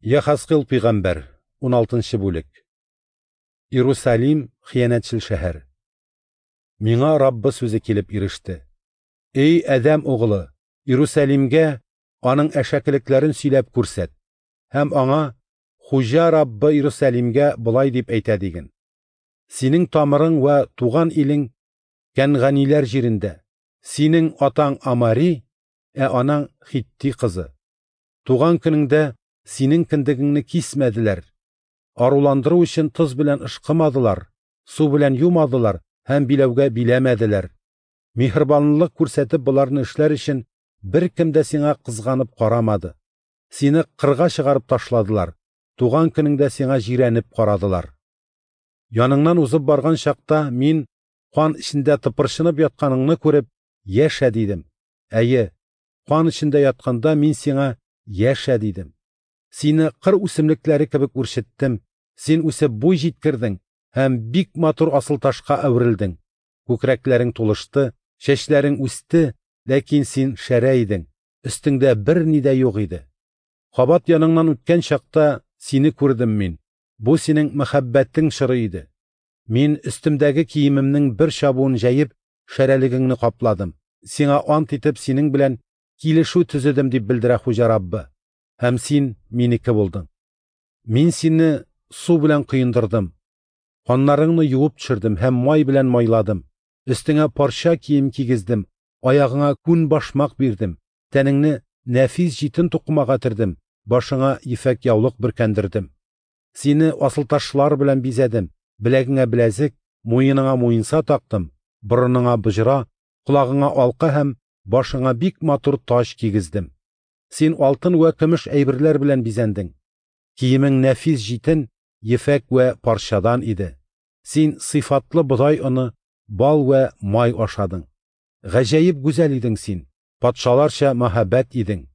Яхазкыйл пәйгамбәр, 16 бүлек. Иерусалим хыянәтчел шәһәр. Миңа Раббы сүзе килеп иреште. Эй Адәм угылы, Иерусалимгә аның әшәкелекләрен сөйләп күрсәт һәм аңа Хуҗа Раббы Иерусалимгә болай дип әйтә диген: Синең тамырың вә туган илең Кәнганиләр җирендә. Синең атаң Амари, ә анаң Хитти кызы. Туган көнеңдә синең кендегеңне кисмәделәр. Аруландыру өчен тоз белән ышкымадылар, су белән юмадылар һәм биләүгә биләмәделәр. Миһербанлылык күрсәтеп боларны эшләр өчен беркем дә сиңа кызганып карамады. Сине кырга чыгарып ташладылар. Туган көнеңдә сиңа җирәнеп карадылар. Яныңнан узып барган чакта мин кан эчендә тыпырчынып ятканыңны күреп, яшә дидем. Әйе, кан эчендә ятканда мин сиңа яшә дидем. Сине кыр үсемлекләре кебек үрчеттем. Син үсеп буй җиткердең һәм бик матур асылташка әверелдең. Күкрәкләрең тулышты, чәчләрең үсте, ләкин син шәрә идең. Өстеңдә берни дә юк иде. Кабат яныңнан үткән чакта сине күрдем мин. Бу синең мәхәббәтең чоры иде. Мин өстемдәге киемемнең бер чабуын җәеп, шәрәлегеңне капладым. Сиңа ант итеп синең белән килешү төзедем дип белдерә Хуҗа Раббы. Һәм син минеке булдың. Мин сине су белән коендырдым. Каннарыңны юып төшердем һәм май белән майладым. Өстеңә парча кием кигездем, аягыңа күн башмак бирдем. Тәнеңне нәфис җитен тукымага төрдем, башыңа ефәк яулык бөркәндердем. Сине асылташлар белән бизәдем, беләгеңә беләзек, муеныңа муенса тактым, борыныңа боҗра, колагыңа алка һәм башыңа бик матур таҗ кигездем. Син алтын вә көмеш әйберләр белән бизәндең. Киемең нәфис җитен, ефәк вә парчадан иде. Син сыйфатлы бодай оны, бал вә май ашадың. Гаҗәеп гүзәл идең син, патшаларча мәһабәт идең.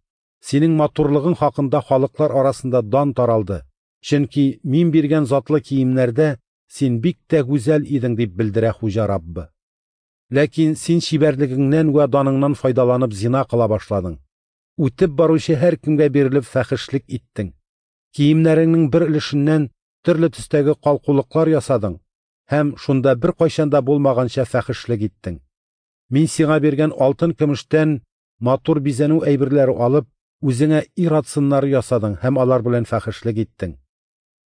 Синең матурлыгың хакында халыклар арасында дан таралды. Чөнки мин биргән затлы киемнәрдә син бик тә гүзәл идең дип белдерә Хуҗа Раббы. Ләкин син чибәрлегеңнән вә даныңнан файдаланып зина кыла башладың. Үтеп баручы һәркемгә бирелеп фәхешлек иттең. Киемнәреңнең бер өлешеннән төрле төстәге калкулыклар ясадың һәм шунда беркайчан да булмаганча фәхешлек иттең. Мин сиңа биргән алтын көмештән матур бизәнү әйберләре алып, үзеңә ир-ат сыннары ясадың һәм алар белән фәхешлек иттең.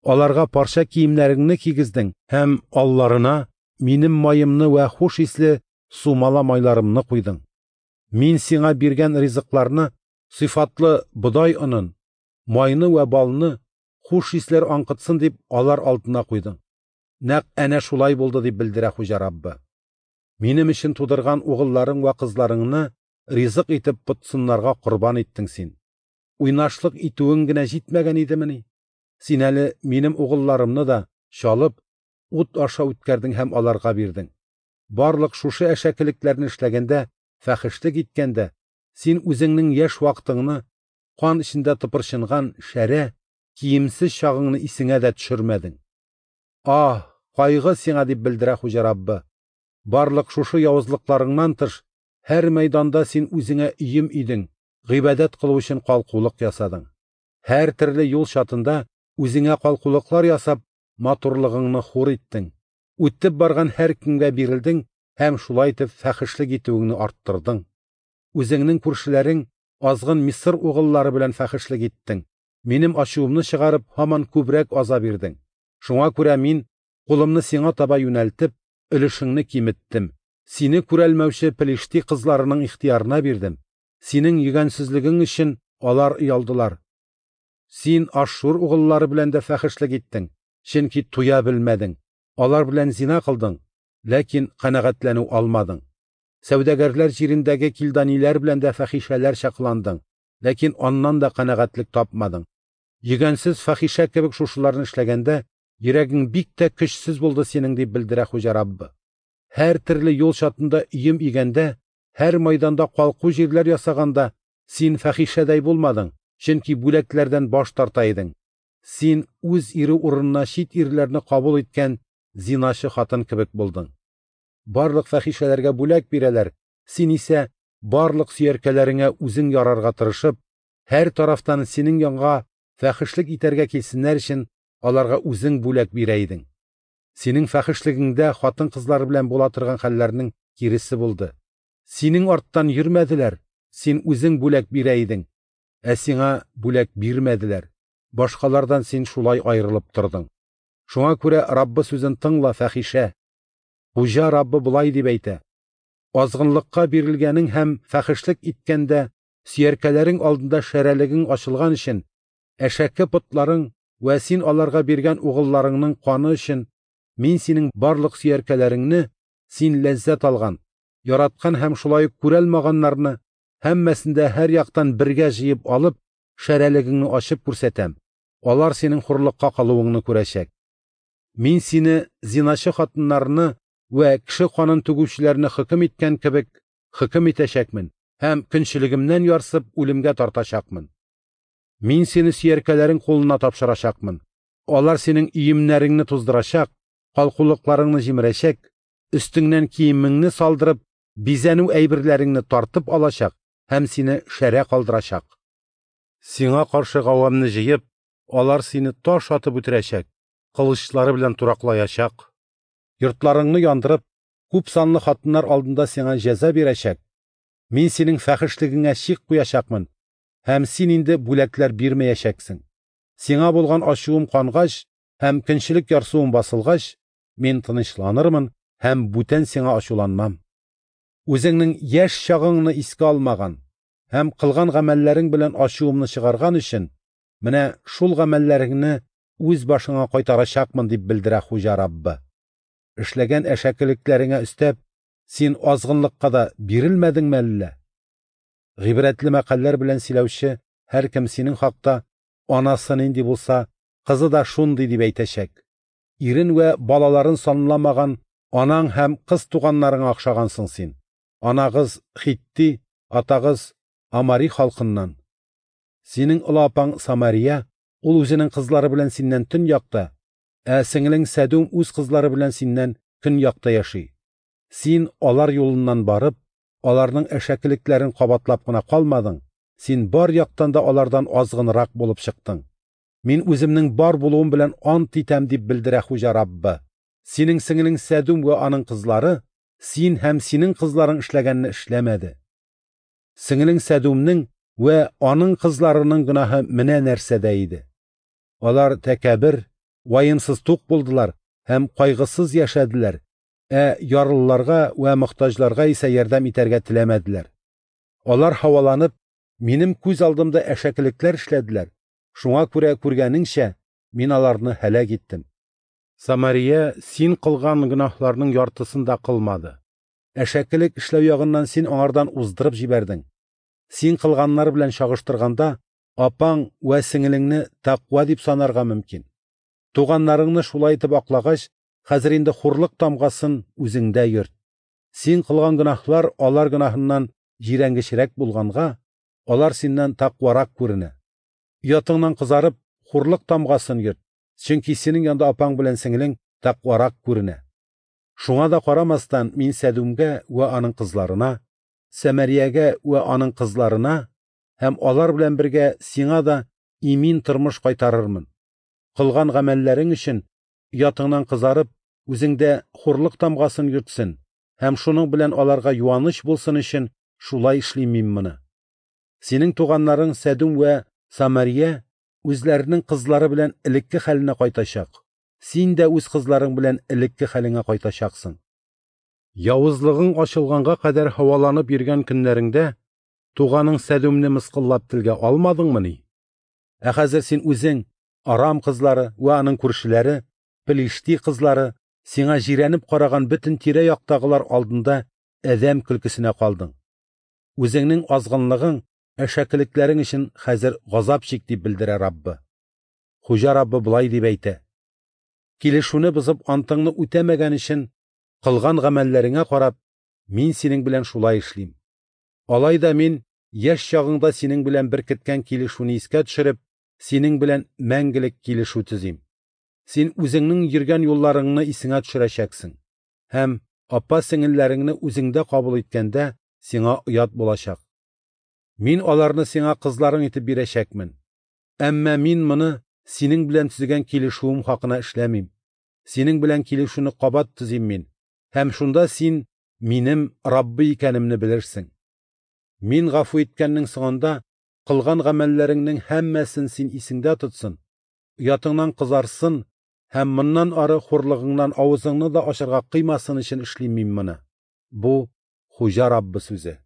Аларга парча киемнәреңне кигездең һәм алларына минем маемны вә хуш исле сумала майларымны куйдың. Мин сиңа биргән ризыкларны, сыйфатлы бодай онын, майны вә балны хуш исләр аңкытсын дип алар алдына куйдың. Нәкъ әнә шулай булды дип белдерә Хуҗа Раббы. Минем өчен тудырган угылларың вә кызларыңны ризык итеп потсыннарга корбан иттең син. Уйнашлык итүең генә җитмәгән идемени? Син әле минем угылларымны да чалып, ут аша үткәрдең һәм аларга бирдең. Барлык шушы әшәкелекләрне эшләгәндә, фәхешлек иткәндә, син үзеңнең яшь вакытыңны, кан эчендә тыпырчынган шәрә, киемсез чагыңны исеңә дә төшермәдең. Аһ, кайгы сиңа дип белдерә Хуҗа Раббы. Барлык шушы явызлыкларыңнан тыш, һәр мәйданда син үзеңә өем идең, гыйбадәт кылу өчен калкулык ясадың. Һәр төрле юл чатында үзеңә калкулыклар ясап, матурлыгыңны хур иттең. Үтеп барган һәркемгә бирелдең һәм шулай итеп фәхешлек итүеңне арттырдың. Үзеңнең күршеләрең азгын Мисыр угыллары белән фәхешлек иттең. Минем ачуымны чыгарып, һаман күбрәк аза бирдең. Шуңа күрә мин кулымны сиңа таба юнәлтеп, өлешеңне киметтем. Сине күрәлмәүче Пелишти кызларының ихтыярына бирдем. Синең йөгәнсезлегең өчен алар оялдылар. Син Ашшур угыллары белән дә фәхешлек иттең, чөнки туя белмәдең. Алар белән зина кылдың, ләкин канәгатьләнү алмадың. Сәүдәгәрләр җирендәге килданиләр белән дә фәхишәләрчә кыландың, ләкин аннан да канәгатьлек тапмадың. Йөгәнсез фәхишә кебек шушыларны эшләгәндә, йөрәгең бик тә көчсез булды синең дип белдерә Хуҗа Раббы. Һәр төрле юл чатында өем игәндә, һәр майданда калку җирләр ясаганда син фәхишәдәй булмадың, чөнки бүләкләрдән баш тарта идең. Син үз ире урынына чит ирләрне кабул иткән зиначы хатын кебек булдың. Барлык фәхишәләргә бүләк бирәләр, син исә барлык сөяркәләреңә үзең ярарга тырышып, һәр тарафтан синең янга фәхешлек итәргә килсеннәр өчен, аларга үзең бүләк бирә идең. Синең фәхешлегеңдә хатын-кызлар белән була торган хәлләрнең киресе булды. Синең арттан йөрмәделәр, син үзең бүләк бирә идең, ә сиңа бүләк бирмәделәр. Башкалардан син шулай аерылып тордың. Шуңа күрә Раббы сүзен тыңла, фәхишә. Хуҗа Раббы болай дип әйтә: Азгынлыкка бирелгәнең һәм фәхешлек иткәндә сөяркәләрең алдында шәрәлегең ачылган өчен, әшәке потларың вә син аларга биргән угылларыңның каны өчен мин синең барлык сөяркәләреңне, син ләззәт алган, яраткан һәм шулай ук күрәлмаганнарны һәммәсен дә һәр яктан бергә җыеп алып, шәрәлегеңне ачып күрсәтәм. Алар синең хурлыкка калуыңны күрәчәк. Мин сине зиначы хатыннарны вә кеше канын түгүчеләрне хөкем иткән кебек хөкем итәчәкмен һәм көнчелегемнән ярсып үлемгә тартачакмын. Мин сине сөяркәләрең кулына тапшырачакмын. Алар синең өемнәреңне туздырачак, калкулыкларыңны җимерәчәк, өстеңнән киемеңне салдырып, бизәнү әйберләреңне тартып алачак һәм сине шәрә калдырачак. Сиңа каршы гавамны җыеп, алар сине таш атып үтерәчәк, кылычлары белән тураклаячак. Йортларыңны яндырып, күп санлы хатыннар алдында сиңа җәза бирәчәк. Мин синең фәхешлегеңә чик куячакмын, һәм син инде бүләкләр бирмәячәксең. Сиңа булган ачуым кангач һәм көнчелек ярсуым басылгач, мин тынычланырмын һәм бүтән сиңа ачуланмам. Үзеңнең яшь чагыңны искә алмаган һәм кылган гамәлләрең белән ачуымны чыгарган өчен, менә шул гамәлләреңне үз башыңа кайтарачакмын, дип белдерә Хуҗа Раббы. Эшләгән әшәкелекләреңә өстәп, син азгынлыкка да бирелмәдеңме әллә? Гыйбрәтле мәкальләр белән сөйләүче һәркем синең хакта анасы нинди булса, кызы да шундый дип әйтәчәк. Ирен вә балаларын санламаган анаң һәм кыз туганнарыңа охшагансың син. Анагыз Хитти, атагыз Амари халкыннан. Синең олы апаң Самария, ул үзенең кызлары белән синнән төньякта, ә сеңлең Сәдүм үз кызлары белән синнән көньякта яши. Син алар юлыннан барып, аларның әшәкелекләрен кабатлап кына калмадың, син бар яктан да алардан азгынрак булып чыктың. Мин үземнең бар булуым белән ант итәм, дип белдерә Хуҗа Раббы. Синең сеңлең Сәдүм вә аның кызлары син һәм синең кызларың эшләгәнне эшләмәде. Сеңлең Сәдүмнең вә аның кызларының гөнаһы менә нәрсәдә иде. Алар тәкәббер, ваемсыз тук булдылар һәм кайгысыз яшәделәр, ә ярлыларга вә мохтаҗларга исә ярдәм итәргә теләмәделәр. Алар һаваланып, минем күз алдымда әшәкелекләр эшләделәр. Шуңа күрә күргәнеңчә, мин аларны һәлак иттем. Самария син кылган гөнаһларның яртысын да кылмады. Әшәкелек эшләү ягыннан син аңардан уздырып җибәрдең. Син кылганнар белән чагыштырганда, апаң вә сеңелеңне тәкъва дип санарга мөмкин. Туганнарыңны шулай итеп аклагач, хәзер инде хурлык тамгасын үзеңдә йөрт. Син кылган гөнаһлар алар гөнаһыннан җирәнгечрәк булганга, алар синнән тәкъварак күренә. Оятыңнан кызарып, хурлык тамгасын йөрт, чөнки синең янда апаң белән сеңелең тәкъварак күренә. Шуңа да карамастан, мин Сәдүмгә вә аның кызларына, Сәмәриягә вә аның кызларына һәм алар белән бергә сиңа да имин тормыш кайтарырмын. Кылган гамәлләрең өчен оятыңнан кызарып, үзеңдә хурлык тамгасын йөртсен һәм шуның белән аларга юаныч булсын өчен шулай эшлим мин моны. Синең туганнарың Сәдүм вә Самария үзләренең кызлары белән элекке хәленә кайтачак. Син дә үз кызларың белән элекке хәлеңә кайтачаксың. Явызлыгың ачылганга кадәр һаваланып йөргән көннәреңдә туганың Сәдүмне мыскыллап телгә алмадыңмыни? Ә хәзер син үзең, Арам кызлары вә аның күршеләре, Пелишти кызлары, сиңа җирәнеп караган бөтен тирә-яктагылар алдында адәм көлкесенә калдың. Үзеңнең азгынлыгың, әшәкелекләрең өчен хәзер газап чик, дип белдерә Раббы. Хуҗа Раббы болай дип әйтә: Килешүне бозып антыңны үтәмәгән өчен кылган гамәлләреңә карап, мин синең белән шулай эшлим. Алай да мин яшь чагыңда синең белән беркеткән килешүне искә төшереп, синең белән мәңгелек килешү төзим. Син үзеңнең йөргән юлларыңны исеңә төшерәчәксең һәм апа сеңелләреңне үзеңдә кабул иткәндә сиңа оят булачак. Мин аларны сиңа кызларың итеп бирәчәкмен. Әмма Мин моны синең белән төзегән килешүем хакына эшләмим. Синең белән килешүне кабат төзим Мин, һәм шунда син Минем Раббы икәнемне белерсең. Мин гафу иткәннең соңында кылган гамәлләреңнең һәммәсен син исеңдә тотсын, оятыңнан кызарсын һәм моннан ары хурлыгыңнан авызыңны да ачарга кыймасын өчен эшлим Мин моны. Бу Хуҗа Раббы сүзе.